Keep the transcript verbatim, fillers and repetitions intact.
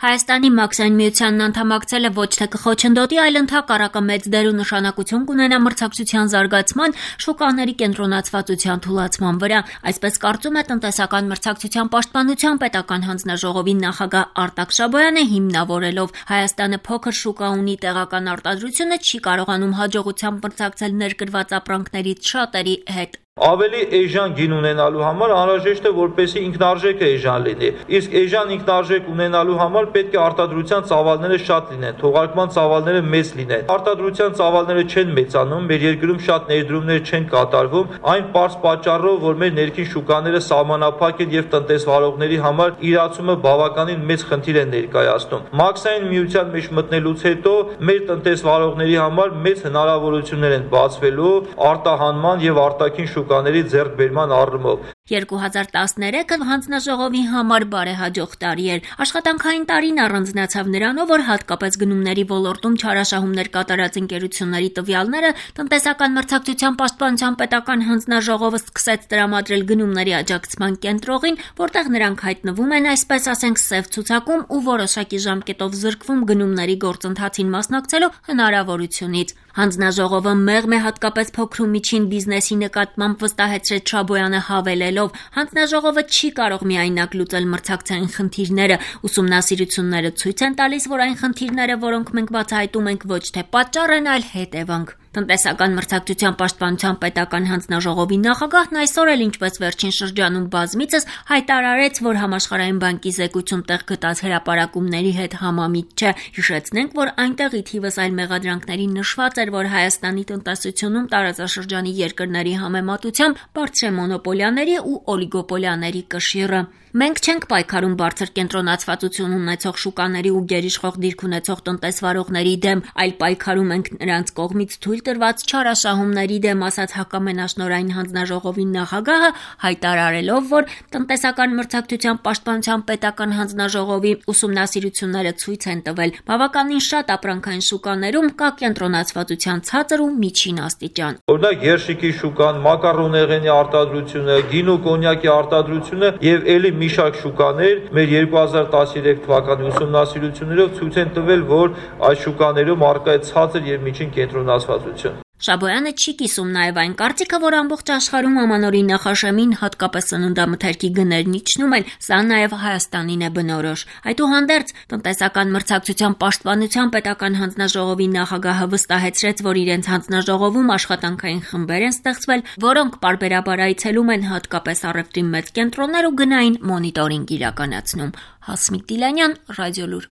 Հայաստանի մաքսային միությանն անդամակցելը ոչ թե կխոչընդոտի, այլ ընդհակառակը մեծ դեր ու նշանակություն կունենա մրցակցության զարգացման, շուկաների կենտրոնացվածության թուլացման վրա։ Այսպես կարծում է տնտեսական մրցակցության պաշտպանության պետական հանձնաժողովի նախագահ Արտակ Շաբոյանը, հիմնավորելով Հայաստանը փոքր շուկա ունի, տեղական արտադրությունը չի կարողանում հաջողությամբ մրցակցել ներկրված ապրանքներից շատերի հետ։ Ավելի էժան գին ունենալու համար անհրաժեշտ է, որպեսզի ինքնարժեքը էժան լինի։ Իսկ էժան ինքնարժեք ունենալու համար պետք է արտադրության ծավալները շատ լինեն, թողարկման ծավալները մեծ լինեն։ Արտադրության ծավալները չեն մեծանում, մեր երկրում շատ ներդրումներ չեն կատարվում, այն պարզ պատճառով, որ մեր ներքին շուկաները սահմանափակ են եւ տնտեսվարողների համար իրացումը բավականին մեծ խնդիր է ներկայացնում։ Մաքսային միության մեջ մտնելուց հետո մեր տնտեսվարողների համար մեծ հնարավորություններ են բացվելու արտահանման եւ արտաքին շուկաների ձեռքբերման առումով։ երկու հազար տասներեքը հանձնաժողովի համար բարեհաջող տարի էր։ Աշխատանքային տարին առանձնացավ նրանով, որ հատկապես գնումների ոլորտում չարաշահումներ կատարած ընկերությունների տվյալները տնտեսական մրցակցության պաշտպանության պետական հանձնաժողովը սկսեց տրամադրել գնումների աջակցման կենտրոնին, որտեղ նրանք հայտնվում են, այսպես ասենք, սև ցուցակում ու որոշակի ժամկետով զրկվում գնումների գործընթացին մասնակցելու հնարավորությունից։ Հանձնաժողովը մեղմ է հատկապես փոքր ու միջին բիզնեսի նկատմամբ, վստահեցրեց Շաբոյանը, հավելելով. հանձնաժողովը չի կարող միայնակ լուծել մրցակցային խնդիրները, ուսումնասիրությունները ցույց են տալիս, որ այն խնդիրները, որոնք մենք բացահայտում ենք, ոչ թե պատճառ են, այլ հետևանք։ Տնտեսական մրցակցության պաշտպանության պետական հանձնաժողովի նախագահն այսօր էլ, ինչպես վերջին շրջանում բազմիցս, հայտարարեց, որ Համաշխարհային բանկի զեկույցում տեղ գտած հրապարակումների հետ համամիտ չէ։ Հիշեցնենք, որ այնտեղի թիվս այլ մեղադրանքների նշված էր, որ Հայաստանի տնտեսությունում տարածաշրջանի երկրների համեմատությամբ բարձր է մոնոպոլիաների ու օլիգոպոլիաների կշիռը։ Մենք չենք պայքարում բարձր կենտրոնացվածություն ունեցող շուկաների ու գերիշխող դիրք ունեցող տնտեսվարողների դեմ, այլ պայքարում ենք նրանց կողմից թույլ տրված չարաշահումների դեմ, ասաց հակամենաշնորհային հանձնաժողովի նախագահը, հայտարարելով, որ տնտեսական մրցակցության պաշտպանության պետական հանձնաժողովի ուսումնասիրությունները ցույց են տվել, բավականին շատ ապրանքային շուկաներում կա կենտրոնացվածության ցածր ու միջին աստիճան։ Օրինակ երշիկի շուկան, մակարոնեղենի արտադրությունը, գինու կոնյակի արտադրությունը եւ ելի մի շարք շուկաներ մեր երկու հազար տասներեք թվականի ուսումնասիրություններով ցույց են տվել, որ այս շուկաներում առկա է ցածր եւ միջին կենտրոնացվածություն։ Շաբոյանը չի կիսում նաև այն կարծիքը, որ ամբողջ աշխարհում ամանորի նախաշեմին, հատկապես սննդամթերքի գներն իջնում են, սա նաև Հայաստանին է բնորոշ։ Այդուհանդերձ, տնտեսական մրցակցության պաշտպանության պետական հանձնաժողովի նախագահը վստահեցրեց, որ իրենց հանձնաժողովում աշխատանքային խմբեր են ստեղծվել, որոնք պարբերաբար այցելում են հատկապես առևտրի մեծ կենտրոններ ու գնային մոնիտորինգ իրականացնում։ Հասմիկ Տիլանյան, Ռադիոլուր։